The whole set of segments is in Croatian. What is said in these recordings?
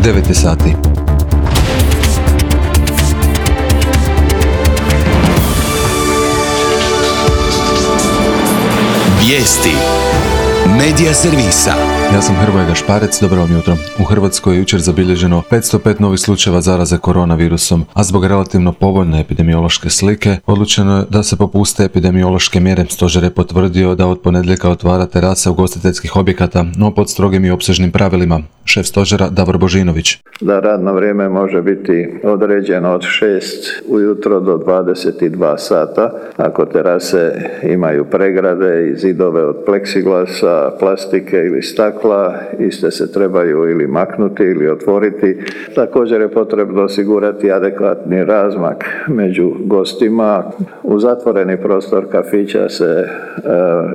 9 sati. Vijesti Medija servisa. Ja sam Hrvoje Gašparec, dobro vam jutro. U Hrvatskoj je jučer zabilježeno 505 novih slučajeva zaraze koronavirusom, a zbog relativno povoljne epidemiološke slike odlučeno je da se popuste epidemiološke mjere. Stožer je potvrdio da od ponedjeljka otvara terase ugostiteljskih objekata, no pod strogim i opsežnim pravilima. Šef stožera Davor Božinović. Da radno vrijeme može biti određeno od 6 ujutro do 22 sata. Ako terase imaju pregrade i zidove od pleksiglasa, plastike ili stakla, iste se trebaju ili maknuti ili otvoriti. Također je potrebno osigurati adekvatni razmak među gostima. U zatvoreni prostor kafića se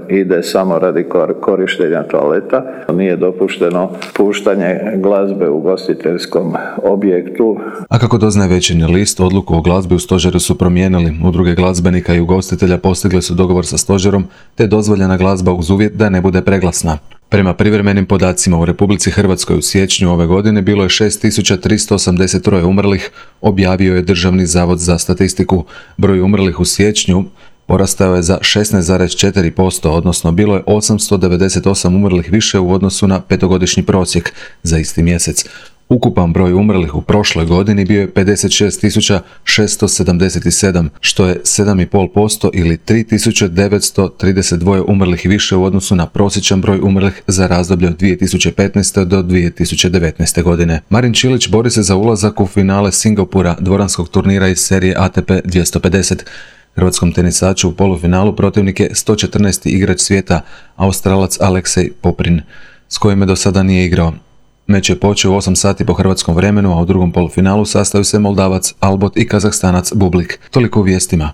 ide samo radi korištenja toaleta. Nije dopušteno puštanje glazbe u ugostiteljskom objektu. A kako doznaje Večernji list, odluku o glazbi u stožeru su promijenili. Udruge glazbenika i ugostitelja postigle su dogovor sa stožerom, te je dozvoljena glazba uz uvjet da ne bude preglasna. Prema privremenim podacima u Republici Hrvatskoj u siječnju ove godine bilo je 6383 umrlih, objavio je Državni zavod za statistiku. Broj umrlih u siječnju porastao je za 16,4%, odnosno bilo je 898 umrlih više u odnosu na petogodišnji prosjek za isti mjesec. Ukupan broj umrlih u prošloj godini bio je 56.677, što je 7,5% ili 3.932 umrlih više u odnosu na prosječan broj umrlih za razdoblje od 2015. do 2019. godine. Marin Čilić bori se za ulazak u finale Singapura, dvoranskog turnira iz serije ATP 250. Hrvatskom tenisaču u polufinalu protivnik je 114. igrač svijeta, Australac Aleksej Poprin, s kojim do sada nije igrao. Meč je počeo u 8 sati po hrvatskom vremenu, a u drugom polufinalu sastaju se Moldavac Albot i Kazahstanac Bublik. Toliko u vijestima.